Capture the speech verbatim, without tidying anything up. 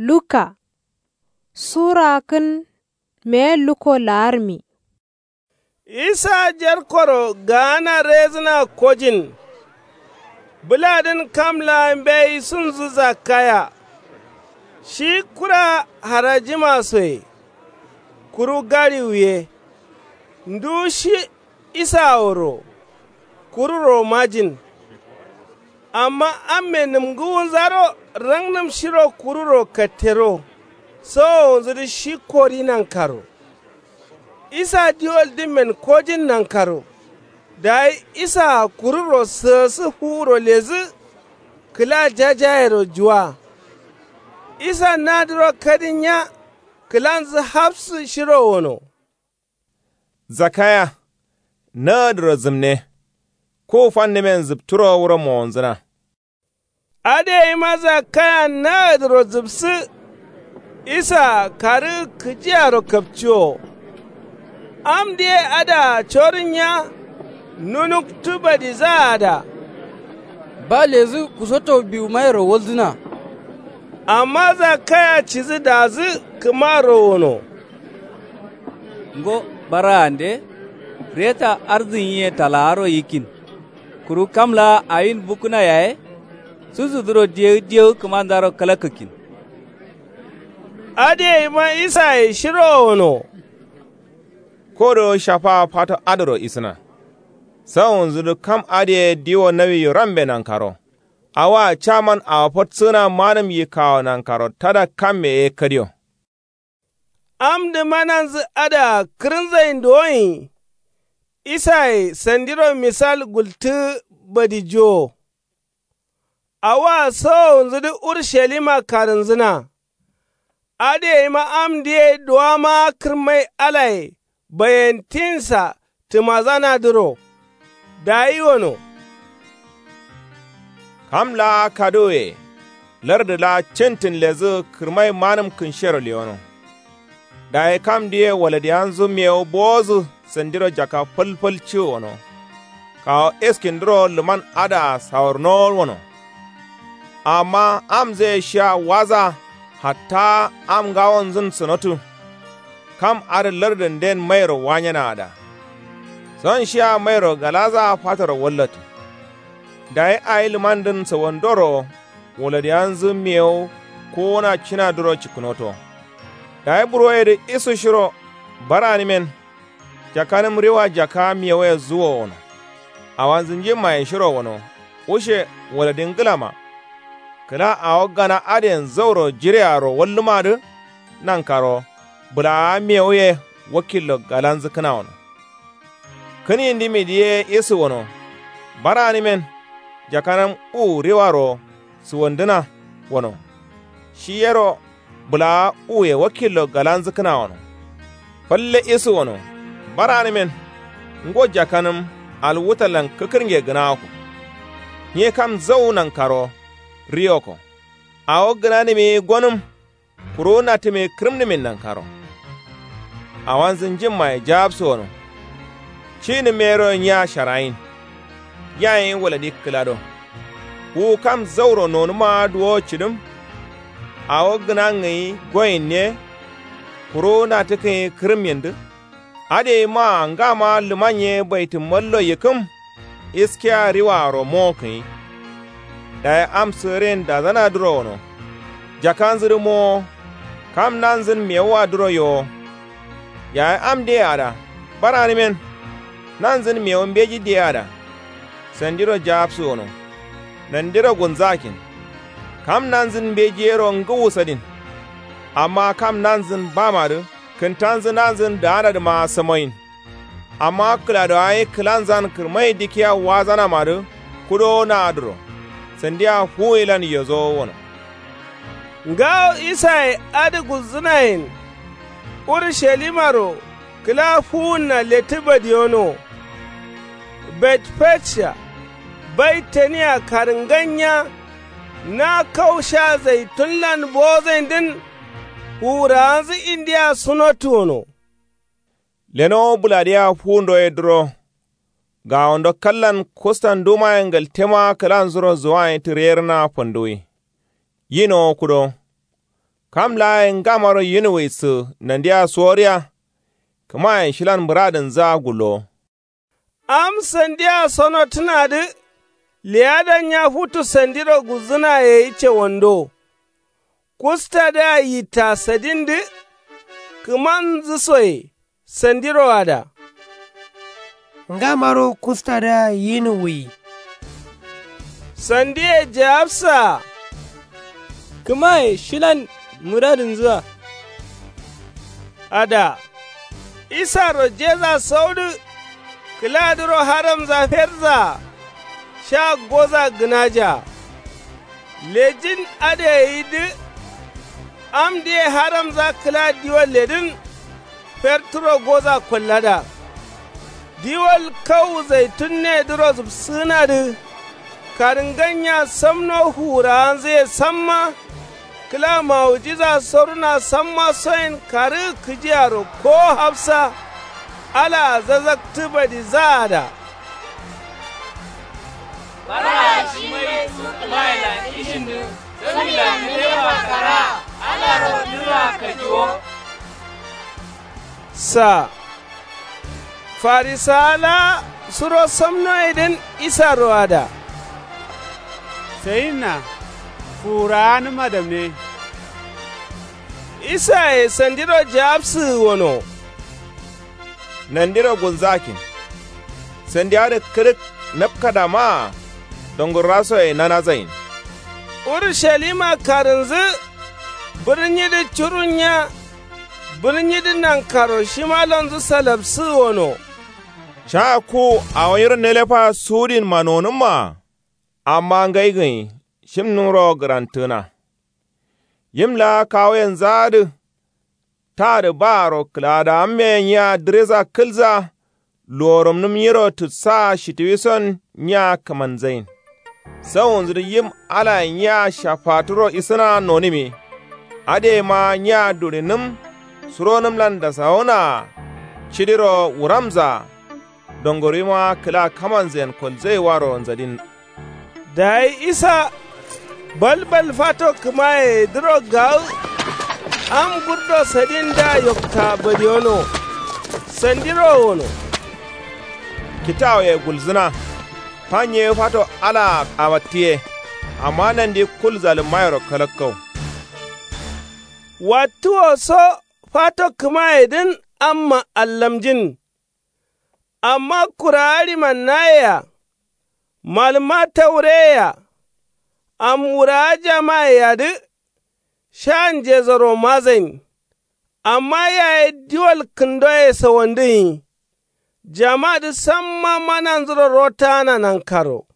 Luka sura kǝn meye luko la'armi. Isa jerkoro gaana rezǝna kojin. Bǝladǝn kam laa mbeyi sunzǝ zakkaya. Shi kura harajima soye. Kuru gariwu ye. Ndu shi isa woro. Kururo majin. Amma amme nǝmgǝwunzaro rangnǝm shiro kururo kattero. Sowowunzǝdǝ shi kori nankaro. Isa diwol dǝmmen kojin nankaro. Dayi isaa kururo sǝgǝsǝ fuwuro ledǝ. Kǝla jajayero juwa. Isa nadǝro kadin nya. Kǝlanzǝ hafsǝ shiro wono. Zakkaya. Nagǝdǝro zǝmne. Ku fannǝmen zǝpturo wuro mowonzǝna. Adǝ yeima zakkaya nagǝdǝro zǝpsǝ. Isa karǝ kǝjiyaro kapciwo. Amdǝ ye adǝa corǝnya. Nunuktu badizaa da. Ba ledǝ kusoto biwumayero waldǝna. Amma zakkaya cidǝ dazǝ kǝmaro wono. Ngo baraande. Reta arzǝnyiye talaaro yikkin. Kuru kam laa awin bukkǝna yaye. Sussudǝro diyewu diyewu kǝmanzaro kalakkǝkkin. Adǝ yeima isaye shiro wono. Kodo shafaa fato adǝro isǝna. Sawunzudǝ kam adǝye diwo nawiyo rambe nankaro. Awoa caman awo fatsǝgǝna manǝm yikkawo nankaro tada kamme ye kadiyo. Amdǝ mananzǝ adǝa kǝrǝnzain duwoin. Isaye sandiro misal gultǝgǝ badijowo. Awoa sowowunzudǝ urushalima karǝnzǝna. Adǝ yeima amdǝ ye duwamawa kǝrmai alaye bayentinsa tǝmazanadǝro. Dayi wono. Kam laa kaduwuye. Lardǝ laa cintǝn ledǝ kǝrmai manǝm kǝnshero lewono. Dayi kamdǝ ye waladiyanzu mewu bowodǝ sandiro jaka fǝlfǝl ciwo wono. Kawu eskindǝro lǝman adǝa sawurnowo wono. Amma amzǝye shia waza hatta am ngawonzǝn sǝnotǝ. Kam adǝ lardǝnden mairo wanyenaa da. Son shia mairo galazaa fatoro wallatǝ. Dayi awi lǝmandǝn sawandoro waladiyanzǝ mewu kowona cinadǝro cikkǝnoto. Dayi buroyedǝ isu shiro baranǝmen. Jakanǝm riwa jaka mewuye zuwo wono. Awanzǝ njimmaye shiro wono. Wushe waladi ngǝlama. Kǝla awo gana adǝyen zauro jirearo wallǝmadǝ. Nankaro bǝlaawa mewuye wakillo galanzǝkkǝna wono. Kǝn yindimidǝ ye isu wono. Baranǝmen jakanǝm u riwaro suwandǝna wono. Shi yero bǝlaawa uye wakillo galanzǝkkǝna wono. Falle isu wono. Baranǝmen ngo jakanǝm alwutallan kǝkkǝrnge gǝnawoko. Nyi kam zau nankaro riwoko. Awo gǝnanǝmi gonǝm. Kuru natǝmi kǝrǝmnǝmin nankaro. Awanzǝ njimmaye jawabsu wono. Cinǝm yero nya sharayin. Yayin waladi kǝlado. Wu kam zauro nonǝma duwo cǝdǝm. Awo gǝnangǝyi goyinne. Kuru natǝkkǝnyi kǝrǝmyindǝ. Adǝ yeima ngama lǝmanye baitǝmmallo yikkǝm. Iskiya riwaaro mowokkǝnyi. Dayi am sǝgǝrin dazanadǝro wono. Jakanzǝdǝ mowo. Kam nanzǝn mewuwadǝro yowo. Yayi am diyeyea da. Baranǝmen. Nanzǝn mewu mbeji diyeyea da. Sandiro jawabsu wono. Nandiro gulnzakkin. Kam nanzǝn mbeji yero ngǝwu sadin. Amma kam nanzǝn bamadǝ kǝntanzǝ nanzǝn daanadǝma samoyin. Amma kǝladowaye kǝlanzan kǝrmai dikkiya wazanamadǝ kudowo naadǝro. Sandia fuwuyilan yozowo wono. Ngawo isaye adǝ gulzǝnayen. Urushalimaro kǝla fuwunna lettǝ badiyono. Betfejiya baitaniya karǝngannya. Na kau sha zaitunlan bozaindǝn. Fuwurawanzǝ indiya sunottǝ wono. Lenowo bǝladiya fuwundo ye duro. Gawondo kallan kustan dumaye ngaltema kǝlanzuro zuwayen tǝrerǝna fanduwi. Yinowo kudo. Kam laa ye ngamaro yinuwuyi sə nandiya suworiya. Kəmaye shilan muradənzəa gullowo. Am sandiya sonotənadǝ. Leyadan nya futu sandiro gulzǝnaye ye cewando. Kustadǝa yitta sadindǝ. Kǝmanzǝ soye sandiro ada. Ngamaro kustadǝa yinuwuyi. Sandiye jawabsaa. Kǝmaye shilan muradǝnzǝa. Ada. Isaro jeza saudǝ. Kǝladǝro haramza ferzaa. Sha goza gǝnaja. Lejin adǝ ye yidǝ. Amdǝ ye haramza kǝla diwalledǝn. Ferturo goza kollada. Diwal kau zaitun ne dǝro zǝbsǝgǝnadǝ. Karǝngan nya samno fuwurawanzǝ ye samma. Kǝla mawujiza soruna samma soyen karǝgǝ kǝjiyaro kowo hafsa. Alaa zazaktǝ badizaa ada. Baraa shi mai su kǝmayelan ishin dǝ. Sǝmila nǝlefa karaa alaro dǝrraa kajiwo. Saa. Farisawa laa suro samno ye dǝn isaro ada. Sayinna fuwurawanǝma damne. Isaye sandiro jawabsǝgǝ wono. Nandiro gulzakin. Sandi adǝ kǝrǝk napkadamaa. Dongurrasoye nanazain. Urushalima karǝnzǝ. Bǝrnyidǝ curunnya. Bǝrnyidǝ nankaro shimalonzǝ salabsǝgǝ wono. Caa ku awo nyiro nelefa sudinma nonǝmmaa. Amma ngai gǝnyi shimnumro gǝrantǝgǝna. Yim laa kawuyenzǝ adǝ. Tadǝ baaro kǝladawamme nya dǝreza kǝlza. Luworomnǝm nyiro tǝtsaa shitiwison nya kǝmanzain. Sauwunzǝ dǝ yim alayen nya shafaturo isǝna nonǝmi. Adǝ yema nya durinǝm. Suronǝmlan dasawunaa. Cidiro wuramzaa. Dongorima kǝla kamanzayen kolzaiwaro nzadin. Dayi isa balbal fato kǝmayeye dǝro gawu. Am gurdo sadindǝa yokta badiyono. Sandiro wono. Kitawuye gulzǝna. Fanye fato alaa amattiye. Amma nandi kul zalǝmmayero kalakkau. Wattuwo so fato kǝmayedǝn amma allamjin. Amma kurawa ɍimannaye-a. Malǝmma taureye-a. Am wurawa jamayeyadǝ. Sha njezoro mazain. Amma yaye diwal kǝndoye sawandǝ gǝnyi. Jamadǝ samma mananzuro rotaana nankaro.